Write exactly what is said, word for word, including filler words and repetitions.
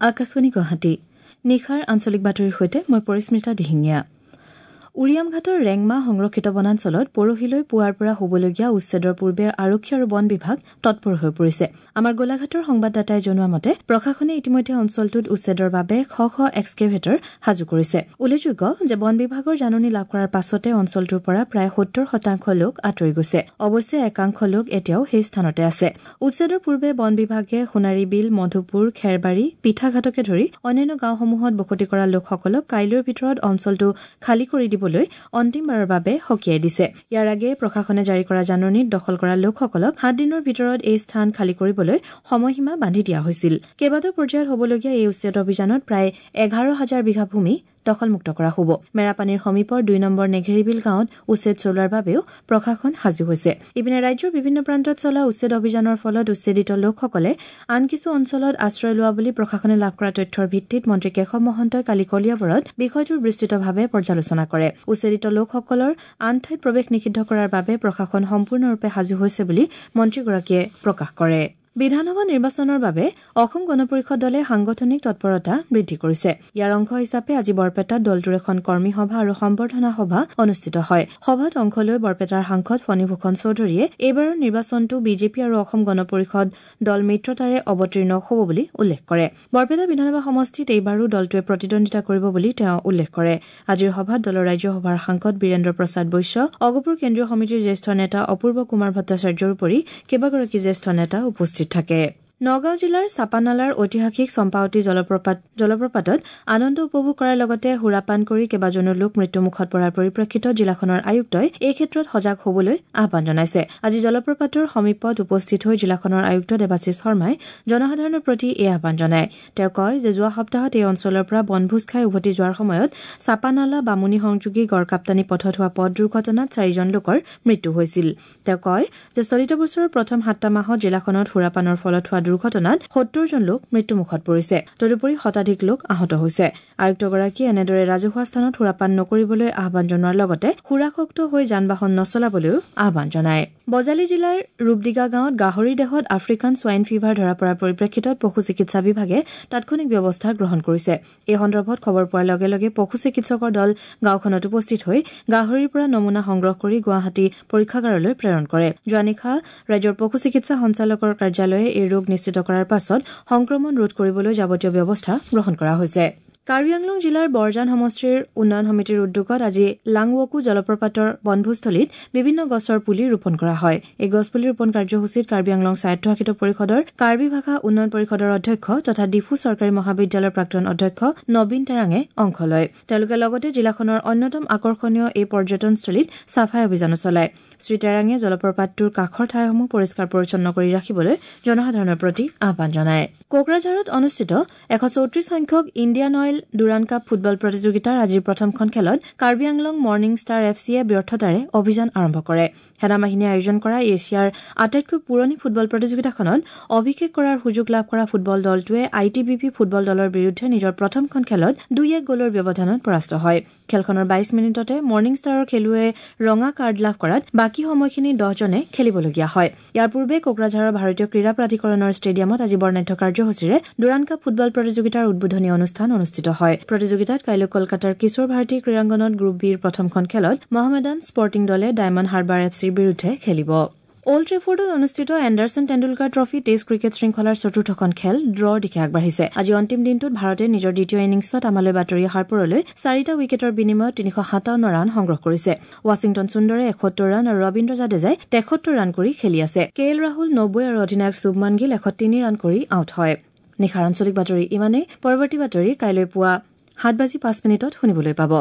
আকাশবাণী গুৱাহাটী নিশাৰ আঞ্চলিক বাতৰিৰ সৈতে মই পৰিস্মিতা দিহিঙীয়া। উৰিয়ামঘাটৰ ৰেংমা সংৰক্ষিত বনাঞ্চলত পৰহিলৈ পুৱাৰ পৰা হ'বলগীয়া উচ্ছেদৰ পূৰ্বে আৰক্ষী আৰু বন বিভাগ তৎপৰ হৈ পৰিছে। আমাৰ গোলাঘাটৰ সংবাদদাতাই জনোৱা মতে প্ৰশাসনে ইতিমধ্যে অঞ্চলটোত উচ্ছেদৰ বাবে শ শ এক্সকেভেটৰ সাজু কৰিছে। উল্লেখযোগ্য যে বন বিভাগৰ জাননী লাভ কৰাৰ পাছতে অঞ্চলটোৰ পৰা প্ৰায় সত্তৰ শতাংশ লোক আঁতৰি গৈছে। অৱশ্যে একাংশ লোক এতিয়াও সেই স্থানতে আছে। উচ্ছেদৰ পূৰ্বে বন বিভাগে সোণাৰী বিল, মধুপুৰ, খেৰবাৰী, পিঠাঘাটকে ধৰি অন্যান্য গাঁওসমূহত বসতি কৰা লোকসকলক কাইলৈৰ ভিতৰত অঞ্চলটো খালী কৰি দিব অন্তিমবাৰৰ বাবে সকীয়াই দিছে। ইয়াৰ আগেয়ে প্ৰশাসনে জাৰি কৰা জাননীত দখল কৰা লোকসকলক সাত দিনৰ ভিতৰত এই স্থান খালী কৰিবলৈ সময়সীমা বান্ধি দিয়া হৈছিল। কেইবাটাও পৰ্যায়ত হ'বলগীয়া এই উচ্ছেদ অভিযানত প্ৰায় এঘাৰ হাজাৰ বিঘা ভূমি দখলমুক্ত কৰা হ'ব। মেৰাপানীৰ সমীপৰ দুই নম্বৰ নেঘেৰিবিল গাঁৱত উচ্ছেদ চলোৱাৰ বাবেও প্ৰশাসন সাজু হৈছে। ইপিনে ৰাজ্যৰ বিভিন্ন প্ৰান্তত চলা উচ্ছেদ অভিযানৰ ফলত উচ্ছেদিত লোকসকলে আন কিছু অঞ্চলত আশ্ৰয় লোৱা বুলি প্ৰশাসনে লাভ কৰা তথ্যৰ ভিত্তিত মন্ত্ৰী কেশৱ মহন্তই কালি কলিয়াবৰত বিষয়টোৰ বিস্তৃতভাৱে পৰ্যালোচনা কৰে। উচ্ছেদিত লোকসকলৰ আন ঠাইত প্ৰৱেশ নিষিদ্ধ কৰাৰ বাবে প্ৰশাসন সম্পূৰ্ণৰূপে সাজু হৈছে বুলি মন্ত্ৰীগৰাকীয়ে প্ৰকাশ কৰে। বিধানসভা নিৰ্বাচনৰ বাবে অসম গণ পৰিষদ দলে সাংগঠনিক তৎপৰতা বৃদ্ধি কৰিছে। ইয়াৰ অংশ হিচাপে আজি বৰপেটাত দলটোৰ এখন কৰ্মী সভা আৰু সম্বৰ্ধনা সভা অনুষ্ঠিত হয়। সভাত অংশ লৈ বৰপেটাৰ সাংসদ ফণীভূষণ চৌধুৰীয়ে এইবাৰৰ নিৰ্বাচনটো বিজেপি আৰু অসম গণ পৰিষদ দল মিত্ৰতাৰে অৱতীৰ্ণ হ'ব বুলি উল্লেখ কৰে। বৰপেটা বিধানসভা সমষ্টিত এইবাৰো দলটোৱে প্ৰতিদ্বন্দ্বিতা কৰিব বুলি তেওঁ উল্লেখ কৰে। আজিৰ সভাত দলৰ ৰাজ্যসভাৰ সাংসদ বীৰেন্দ্ৰ প্ৰসাদ বৈশ্য, অগপৰ কেন্দ্ৰীয় সমিতিৰ জ্যেষ্ঠ নেতা অপূৰ্ব কুমাৰ ভট্টাচাৰ্যৰ উপৰি কেইবাগৰাকী জ্যেষ্ঠ নেতা উপস্থিত থাকে। নগাঁও জিলাৰ চাপানালাৰ ঐতিহাসিক চম্পাৱতী জলপ্ৰপাত জলপ্ৰপাতত আনন্দ উপভোগ কৰাৰ লগতে সুৰাপান কৰি কেইবাজনো লোক মৃত্যুমুখত পৰাৰ পৰিপ্ৰেক্ষিতত জিলাখনৰ আয়ুক্তই এই ক্ষেত্ৰত সজাগ হ'বলৈ আহ্বান জনাইছে। আজি জলপ্ৰপাতৰ সমীপত উপস্থিত হৈ জিলাখনৰ আয়ুক্ত দেৱাশীষ শৰ্মাই জনসাধাৰণৰ প্ৰতি এই আহ্বান জনায়। তেওঁ কয় যে যোৱা সপ্তাহত এই অঞ্চলৰ পৰা বনভোজ খাই উভতি যোৱাৰ সময়ত চাপানালা বামুণী সংযোগী গড়কাপ্তানী পথত হোৱা পথ দুৰ্ঘটনাত চাৰিজন লোকৰ মৃত্যু হৈছিল। তেওঁ কয় যে চলিত বছৰৰ প্ৰথম সাতটা মাহত জিলাখনত সুৰাপানৰ ফলত হোৱা দুৰ্ঘটনাত সত্তৰজন লোক মৃত্যুমুখত পৰিছে। তদুপৰি শতাধিক লোক আহত হৈছে। আয়ুক্তগৰাকীয়ে এনেদৰে ৰাজহুৱা স্থানত সুৰাপান নকৰিবলৈ আহ্বান জনোৱাৰ লগতে সুৰাসক্ত হৈ যান বাহন নচলাবলৈও আহ্বান জনায়। বজালী জিলাৰ ৰূপদিগা গাঁৱত গাহৰিৰ দেহত আফ্ৰিকান ছোৱাইন ফিভাৰ ধৰা পৰাৰ পৰিপ্ৰেক্ষিতত পশু চিকিৎসা বিভাগে তাৎক্ষণিক ব্যৱস্থা গ্ৰহণ কৰিছে। এই সন্দৰ্ভত খবৰ পোৱাৰ লগে লগে পশু চিকিৎসকৰ দল গাঁওখনত উপস্থিত হৈ গাহৰিৰ পৰা নমুনা সংগ্ৰহ কৰি গুৱাহাটী পৰীক্ষাগাৰলৈ প্ৰেৰণ কৰে। যোৱা নিশা ৰাজ্যৰ পশু চিকিৎসা সঞ্চালকৰ কাৰ্যালয়ে এই ৰোগ নিশ্চিত কৰাৰ পাছত সংক্ৰমণ ৰোধ কৰিবলৈ যাৱতীয় ব্যৱস্থা গ্ৰহণ কৰা হৈছে। কাৰ্বি আংলং জিলাৰ বৰজান সমষ্টিৰ উন্নয়ন সমিতিৰ উদ্যোগত আজি লাংৱকু জলপ্ৰপাতৰ বনভোজস্থলীত বিভিন্ন গছৰ পুলি ৰোপণ কৰা হয়। এই গছপুলি ৰোপণ কাৰ্যসূচীত কাৰ্বি আংলং স্বায়ত্তশাসিত পৰিষদৰ কাৰ্বি ভাষা উন্নয়ন পৰিষদৰ অধ্যক্ষ তথা ডিফু চৰকাৰী মহাবিদ্যালয়ৰ প্ৰাক্তন অধ্যক্ষ নবীন তেৰাঙে অংশ লয়। তেওঁলোকে লগতে জিলাখনৰ অন্যতম আকৰ্ষণীয় এই পৰ্যটনস্থলীত চাফাই অভিযানো চলায়। শ্ৰীতেৰাঙে জলপ্ৰপাতটোৰ কাষৰ ঠাইসমূহ পৰিষ্কাৰ পৰিচ্ছন্ন কৰি ৰাখিবলৈ জনসাধাৰণৰ প্ৰতি আহ্বান জনায়। কোকৰাঝাৰত অনুষ্ঠিত এশ চৌত্ৰিশ সংখ্যক Indian Oil Durand Cup football প্ৰতিযোগিতাৰ আজিৰ প্ৰথমখন খেলত Karbi Anglong morning star F চিয়ে ব্যৰ্থতাৰে অভিযান আৰম্ভ কৰে। সেনাবাহিনীয়ে আয়োজন কৰা এছিয়াৰ আটাইতকৈ পুৰণি ফুটবল প্ৰতিযোগিতাখনত অভিষেক কৰাৰ সুযোগ লাভ কৰা ফুটবল দলটোৱে I T B P football দলৰ বিৰুদ্ধে নিজৰ প্ৰথমখন খেলত দুই এক গ'লৰ ব্যৱধানত পৰাস্ত হয়। খেলখনৰ বাইশ মিনিটতে মৰ্ণিং ষ্টাৰৰ খেলুৱৈয়ে ৰঙা কাৰ্ড লাভ কৰাত বাকী সময়খিনি দহজনে খেলিবলগীয়া হয়। ইয়াৰ পূৰ্বে কোকৰাঝাৰৰ ভাৰতীয় ক্ৰীড়া প্ৰাধিকৰণৰ ষ্টেডিয়ামত আজি বৰ্ণাঢ্য কাৰ্যসূচীৰে ডুৰাণ্ড কাপ ফুটবল প্ৰতিযোগিতাৰ উদ্বোধনী অনুষ্ঠান অনুষ্ঠিত হয়। প্ৰতিযোগিতাত কাইলৈ কলকাতাৰ কিশোৰ ভাৰতী ক্ৰীড়াংগনত গ্ৰুপ বিৰ প্ৰথমখন খেলত মহমেদান স্পৰ্টিং দলে ডায়মণ্ড হাৰ্বাৰ এফ চিৰ বিৰুদ্ধে খেলিব। অল্ড ট্ৰেফৰ্ডত অনুষ্ঠিত Anderson Tendulkar trophy test cricket শৃংখলাৰ চতুৰ্থখন খেল ড্ৰৰ দিশে আগবাঢ়িছে। আজি অন্তিম দিনটোত ভাৰতে নিজৰ দ্বিতীয় ইনিংছত আমালৈ বাতৰি অহাৰ পৰলৈ চাৰিটা উইকেটৰ বিনিময়ত তিনিশ সাতাৱন্ন ৰান সংগ্ৰহ কৰিছে। ৱাশ্বিংটন সুন্দৰে এসত্তৰ ৰান আৰু ৰবীন্দ্ৰ জাদেজাই তেসত্তৰ ৰান কৰি খেলি আছে। কে এল ৰাহুল নব্বৈ আৰু অধিনায়ক শুভমান গিল এশ তিনি ৰান কৰি আউট হয়। নিশাৰ আঞ্চলিক বাতৰি ইমানেই। পৰৱৰ্তী বাতৰি কাইলৈ পুৱা সাত বাজি পাঁচ মিনিটত শুনিবলৈ পাব।